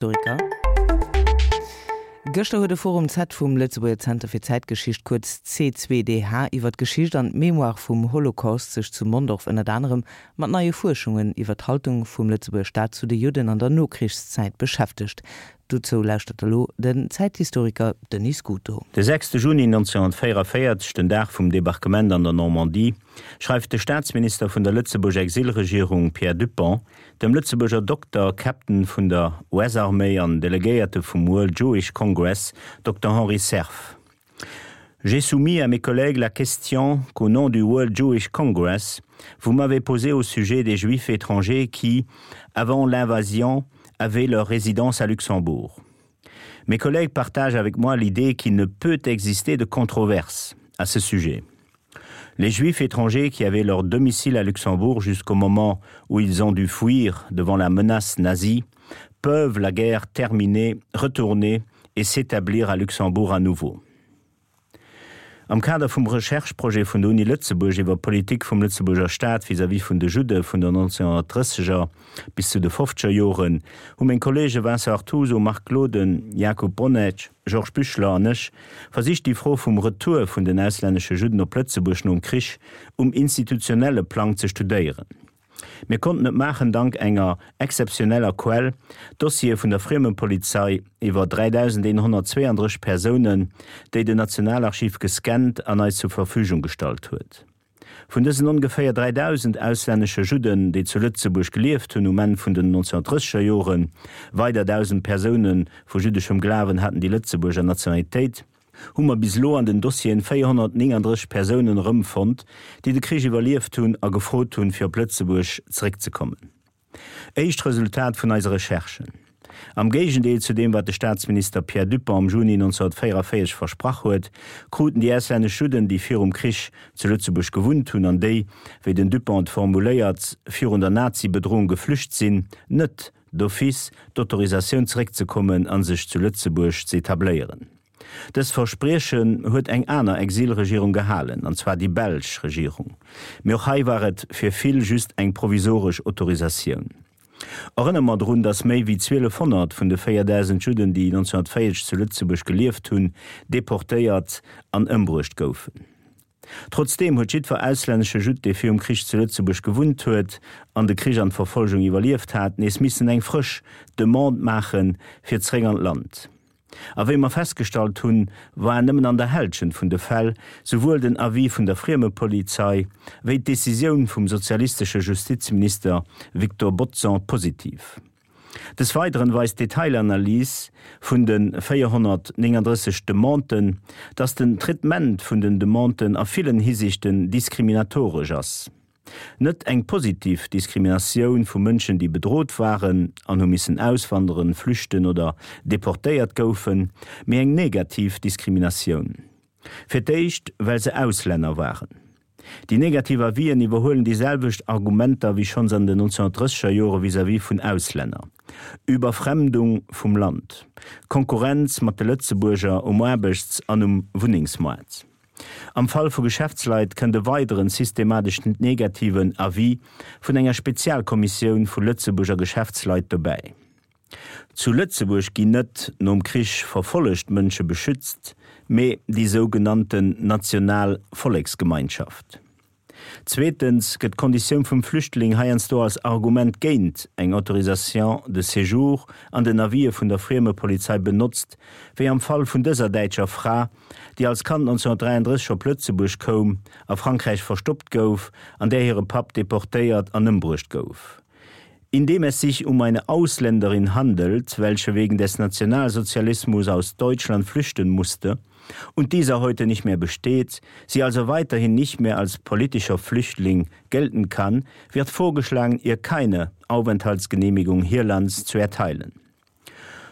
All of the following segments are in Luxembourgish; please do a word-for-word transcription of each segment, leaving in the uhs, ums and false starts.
Historiker. Gëschter huet de Forum Z vum Lëtzebuerger Zenter fir Zäitgeschicht, kuerz C zwei D H, iwwer d'Geschicht an d'Mémoire vum Holocaust sech zu Mondorf ënnert anerem mat neie Fuerschungen iwwer d'Haltung vum Lëtzebuerger Staat zu de Judden an der Nokrichszäit beschäftegt. Dozou lauschtert elo den Zäithistoriker Denis Scuto. De sechste Juni neunzehnhunnertvéierunvéierzeg, den Dag vum Debarquement an der Normandie, schreift de Staatsminister vun der Lëtzebuerger Exilregierung Pierre Dupong dem Lëtzebuerger Dokter, Captain vun der U S-Arméi an Delegéierte vum World Jewish Congress, Dokter Henri Cerf: J'ai soumis à mes collègues la question qu'au nom du World Jewish Congress, vous m'avez posée au sujet des Juifs étrangers qui, avant l'invasion, avaient leur résidence à Luxembourg. Mes collègues partagent avec moi l'idée qu'il ne peut exister de controverse à ce sujet. Les Juifs étrangers qui avaient leur domicile à Luxembourg jusqu'au moment où ils ont dû fuir devant la menace nazie peuvent, la guerre terminée, retourner et s'établir à Luxembourg à nouveau. Am Kader vum Rechercheprojet vun der Uni Lëtzebuerg iwwer d'Politik vum Lëtzebuerger Staat vis-à-vis vun de Judde vun den neunzehnhunnertdrësseger bis zu de fofzeger Joren hu meng Kolleege Vincent Artuso, Marc Gloden, Jakub Boniec, Georges Büchler an ech versicht déi Fro vum Retour vun den auslännesche Judden op Lëtzebuerg nom Krich um institutionelle Plang ze studéieren. Mir konnten et maachen dank enger exzeptioneller Quell, Dossiere vun der Friemenpolizei iwwer dräidausendeenhonnertzweeandrësseg Persounen, déi den Nationalarchiv gescannt an eis zur Verfügung gestallt huet. Vun dësen ongeféier dräidausend auslännesche Judden, déi zu Lëtzebuerg gelieft hunn um Enn vun den neunzehnhunnertdrësseger Joren, weider dausend Persoune vu jüddeschem Glawen haten déi Lëtzebuerger Nationalitéit, hu mer bis elo an den Dossieren véierhonnertnénganddrësseg Persounen erëmfonnt, déi de Krich iwwerlieft hunn a gefrot hunn, fir op Lëtzebuerg zeréckzekommen. Éischt Resultat vun eise Recherchen, Am Géigendeel zu deem, wat de Staatsminister Pierre Dupong am Juni neunzehnhunnertvéierunvéierzeg versprach huet, kruten déi auslännesch Judden, déi virum Krich zu Lëtzebuerg gewunnt hunn an déi, wéi den Dupong et formuléiert, virun der Nazi-Bedroung geflücht sinn, net d'office d'Autorisatioun zeréckzekommen a sech zu Lëtzebuerg ze etabléieren. Dëst Verspriechen huet eng aner Exilregierung gehalen, an zwar déi belsch Regierung. Mee och hei war et fir vill just eng provisoresch Autorisatioun. Erënnere mer drun, datt méi wéi zwielefhonnert vun de véierdausend Judden, déi neunzehnhunnertvéierzeg zu Lëtzebuerg gelieft hunn, deportéiert an ëmbruecht goufen. Trotzdeem huet jiddwer auslännesche Judd, dee virum Krich zu Lëtzebuerg gewunnt huet an de Krich an d'Verfolgung iwwerlieft hat, nees missen eng frësch Demande maachen, fir zeréck an d'Land. A wéi mer festgestallt hunn, war nëmmen an der Hälschent vun de Fäll souwuel den Avis vun der Friemepolizei wéi d'Decisioun vum sozialistesche Justizminister Victor Bodson positiv. Des Weideren weist d'Detailanalys vun de véierhonnertnénganddrësseg Demanden, dass den Traitement vun den Demanden a villen Hisiichten diskriminatoresch ass. Net eng positiv Diskriminatioun vu Mënschen, déi bedrot waren an hu missen auswanderen, flüchten oder deportéiert goufen, mee eng negativ Diskriminatioun. Fir d'éischt, well se Auslänner waren. Déi negativ Avisen iwwerhuelen déi selwecht Argumenter wéi schonns an den neunzehnhunnertdrësseger Jore vis-à-vis vun Auslänner, Überfremdung vum Land, Konkurrenz mat de Lëtzebuerger um Aarbechts an um Wunnengsmoart. Am Fall vu Geschäftsleit kënnt e weideren systematesch negativen Avis vun enger Spezialkommissioun vu Lëtzebuerger Geschäftsleit dobäi. Zu Lëtzebuerg ginn net nom Krich verfollegt Mënsche beschützt, mee déi sougenannten national Volleksgemeinschaft. Zweetens gëtt d'Konditioun vum Flüchtling heiansdo als Argument géint eng Autorisation de séjour an den Avisë vun der Friemepolizei benotzt, wéi am Fall vun dëser däitscher Fra, déi als Kand neunzehnhunnertdräianddrësseg op Lëtzebuerg koum, a Frankräich verstoppt gouf an där hire Papp deportéiert an ëmbruecht gouf. Indem es sich um eine Ausländerin handelt, welche wegen des Nationalsozialismus aus Deutschland flüchten musste und dieser heute nicht mehr besteht, sie also weiterhin nicht mehr als politischer Flüchtling gelten kann, wird vorgeschlagen, ihr keine Aufenthaltsgenehmigung hierlands zu erteilen.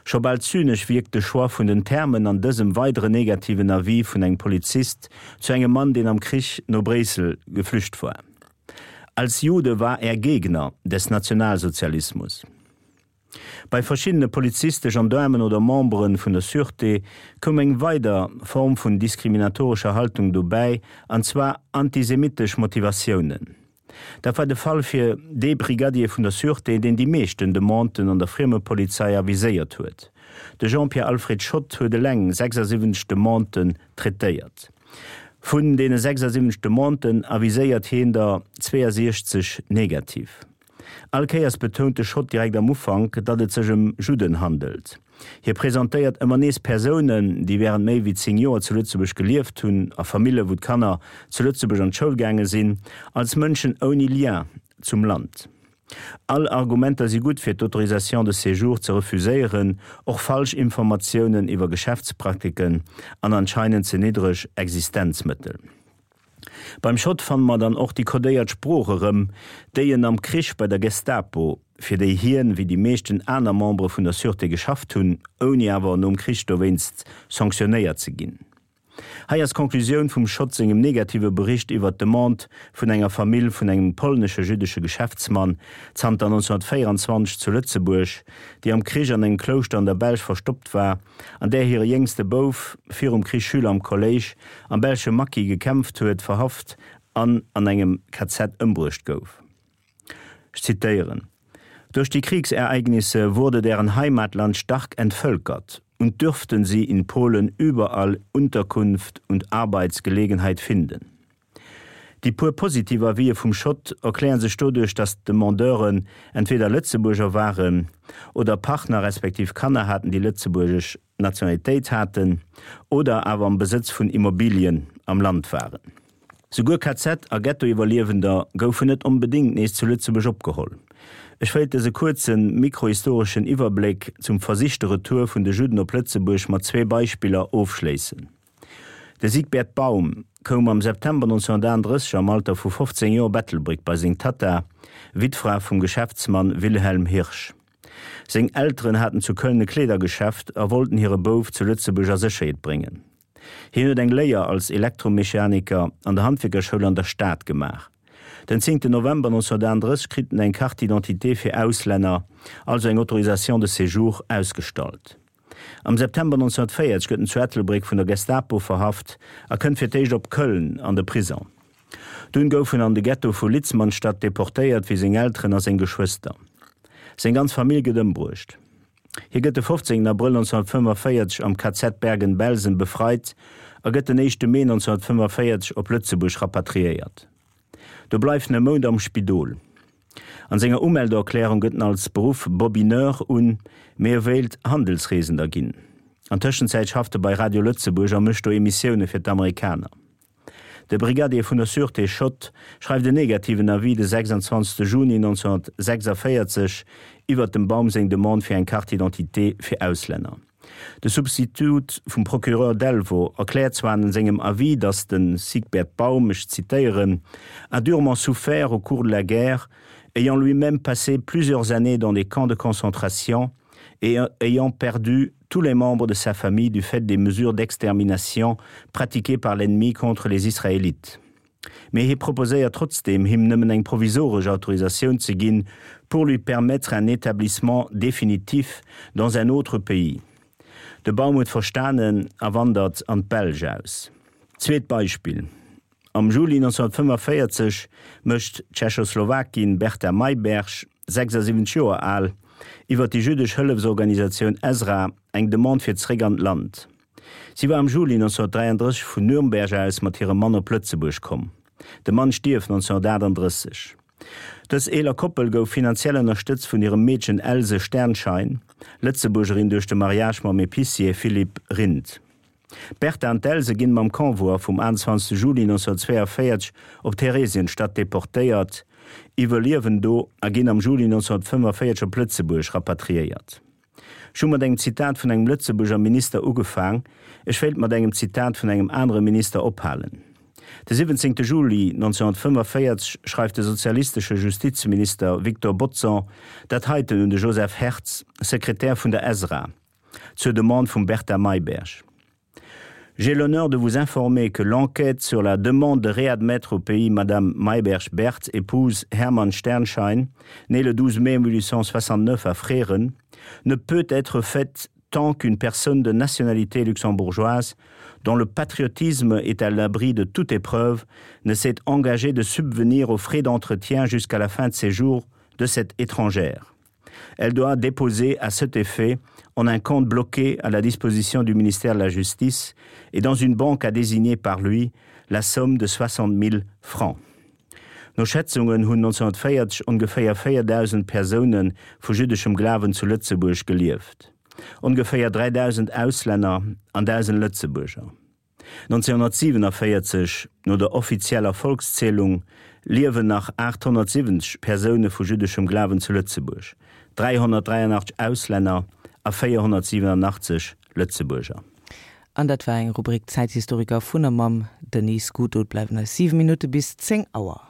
Scho bal zynesch wierkt de Choix vun den Termen an dësem weideren negativen Avis vun engem Polizist zu engem Mann, deen am Krich no Bréissel geflücht war. Als Jude war er Gegner des Nationalsozialismus. Bei verschiddene Polizisten, Gendaarmen oder Membere vun der Sûreté koum eng weider Form vun diskriminatorescher Haltung dobäi, an zwar antisemitesch Motivatiounen. Dat war de Fall fir dee Brigadier vun der Sûreté, deen déi meeschten Demanden an der Friemepolizei aviséiert huet. De Jean-Pierre Alfred Schott huet eleng sechsasiwwenzeg Demanden traitéiert. Vun deene sechsasiwwenzeg Demanden aviséiert hien der zweeësiechzeg negativ. All Kéiers betount de Schott direkt am Ufank, datt et sech ëm Judden handelt. Hie presentéiert ëmmer nees Persounen, déi wärend méi wéi zéng Joer zu Lëtzebuerg gelieft hunn, a Famille wou d'Kanner zu Lëtzebuerg an d'Schoul gaange sinn, als Mënschen ouni Lien zum Land. All Argumenter si gutt fir d'Autorisation de séjour ze refuséieren, och falsch Informatiounen iwwer Geschäftspraktiken an anscheinend ze niddreg Existenzmëttel. Beim Schott fanne mer dann och déi kodéiert Sprooch erëm, déi en am Krich bei der Gestapo, fir déi hien, wéi déi meeschten aner Membere vun der Sûreté geschafft hunn, ouni awer nom Krich dowéinst sanktionéiert ze ginn. Hei ass d'Konklusioun vum Schott sengem negative Bericht iwwer d'Demande vun enger Famill vun engem polnesche jüddesche Geschäftsmann, zanter nonzénghunnertvéierenzwanzeg zu Lëtzebuerg, déi am Krich an engem Klouschter an der Belsch verstoppt war, an där hire jéngste Bouf, virum Krich Schüler am Kolléisch, am belsche Maquis gekämpft huet, verhaft an an engem K Z ëmbruecht gouf. Ech zitéieren, Durch die Kriegsereignisse wurde deren Heimatland stark entvölkert und dürften sie in Polen überall Unterkunft und Arbeitsgelegenheit finden. Déi puer positiv Avisë vum Schott erklären sech doduerch, datt d'Demandeuren entweder Lëtzebuerger waren oder Partner respektiv Kanner haten, déi lëtzebuergesch Nationalitéit haten oder awer am Besëtz vun Immobilien am Land waren. Souguer K Z a Ghettoiwwerliewender goufen net onbedéngt nees zu Lëtzebuerg opgeholl. Ech wéilt dëse kuerze mikrohistoreschen Iwwerbléck zum versichte Retour vun de Judden op Lëtzebuerg mat zwee Beispiller ofschléissen. De Siegbert Baum koum am September nonzénghunnertaachtenddrësseg am Alter vu fofzéng Joer op Ettelbréck bei seng Tatta, Wittfra vum Geschäftsmann Wilhelm Hirsch. Seng Elteren haten zu Köln e Kleedergeschäft a wollten hire Bouf zu Lëtzebuerg a Sécherheet bréngen. Hien huet eng Léier als Elektromechaniker an der Handwierkerschoul an der Stad gemaach. Den zéngten November nonzénghunnertaachtenddrësseg kritt en eng Carte d'identité fir Auslänner, also eng Autorisation de séjour, ausgestallt. Am September nonzénghunnertvéierzeg gëtt en zu Ettelbréck vun der Gestapo verhaft a kënnt fir d'éischt op Köln an de Prison. Dunn gouf en an de Ghetto vu Litzmannstadt deportéiert, wéi seng Elteren a seng Geschwëster. Seng ganz Famill gëtt ëmbruecht. Hie gëtt de fofzéngten Abrëll nonzénghunnertfënnefenvéierzeg am K Z Bergen-Belsen befreit a gëtt den éischte Mee nonzénghunnertfënnefenvéierzeg op Lëtzebuerg rapatriéiert. Do bleift en e Mount am Spidol. An senger Umeldeerklärung gëtt en als Beruff Bobineur un, mee e wéilt Handelsreesender ginn. An Tëschenzäit schafft e bei Radio Lëtzebuerg a mécht do Emissioune fir d'Amerikaner. De Brigadier vun der Sûreté Schott schreift en negativen Avis de sechsundzwanzegste Juni nonzénghunnertsechsundvéierzeg iwwert dem Baum seng Demande fir eng Carte d'identité fir Auslänner. De Substitut vum Procureur Delvaux erkläert zwar an sengem Avis, datt de Siegbert Baum, ech zitéieren, a durement souffert au cours de la guerre, ayant lui-même passé plusieurs années dans des camps de concentration et ayant perdu tous les membres de sa famille du fait des mesures d'extermination pratiquées par l'ennemi contre les Israélites. Mee hie proposéiert trotzdeem, him nëmmen eng provisoresch Autorisatioun ze ginn, pour lui permettre un établissement définitif dans un autre pays. De Baum huet verstanen a wandert an d'Belsch aus. Zweet Beispill, Am Juli nonzénghunnertfënnefenvéierzeg mécht d'Tschechoslowakin Berta Mayberg, sechsundsiwwenzeg Joer al, iwwer déi jüddesch Hëllefsorganisatioun Ezra eng Demande fir zeréck an d'Land. Si war am Juli nonzénghunnertdräianddrësseg vun Nürnberg aus mat hirem Mann op Lëtzebuerg komm. De Mann stierft nonzénghunnertaachtanddrësseg. Dës eeler Koppel gouf finanziell ënnerstëtzt vun hirem Meedchen Else Sternschein, Lëtzebuergerin duerch de Mariage mam Epicier Philippe Rindt. D'Berta an d'Else ginn mam Convoi vum achtenzwanzegste Juli nonzénghunnertzwéianvéierzeg op Theresienstadt deportéiert, iwwerliewen do a ginn am Juli nonzénghunnertfënnefenvéierzeg op Lëtzebuerg rapatriéiert. Ech hu mat engem Zitat vun engem Lëtzebuerger Minister ugefaang, ech wéilt mat engem Zitat vun engem anere Minister ophalen. De siwwenzéngte Juli nonzénghunnertfënnefenvéierzeg schreift de sozialistesche Justizminister Victor Bodson dat heiten un de Joseph Hertz, Sekretär vun der Ezra, zur Demande vum Berta Mayberg. J'ai l'honneur de vous informer que l'enquête sur la demande de réadmettre au pays Madame Mayberg-Berthe, épouse Hermann Sternschein, née le douze mai mille huit cent soixante-neuf à Fréren, ne peut être faite tant qu'une personne de nationalité luxembourgeoise, dont le patriotisme est à l'abri de toute épreuve, ne s'est engagée de subvenir aux frais d'entretien jusqu'à la fin de ses jours de cette étrangère. Elle doit déposer à cet effet en un compte bloqué à la disposition du ministère de la Justice et dans une banque à désigner par lui la somme de soixante mille francs. No Schätzungen hunn neunzehnhunnertvéierzeg ongeféier véierdausend Persoune vu jüddeschem Glawen zu Lëtzebuerg gelieft, ongeféier dräidausend Auslänner an dausend Lëtzebuerger. neunzehnhunnertsiewenavéierzeg, no der offizieller Volkszählung, liewen nach aathonnertsiwwenzeg Persoune vu jüddeschem Glawen zu Lëtzebuerg, dräihonnertdräianachtzeg Auslänner a véierhonnertsiewenanachtzeg Lëtzebuerger. An dat war eng Rubrik Zäithistoriker vun a mam Denis Scuto. Et bleiwen eis siwe Minutte bis zéng Auer.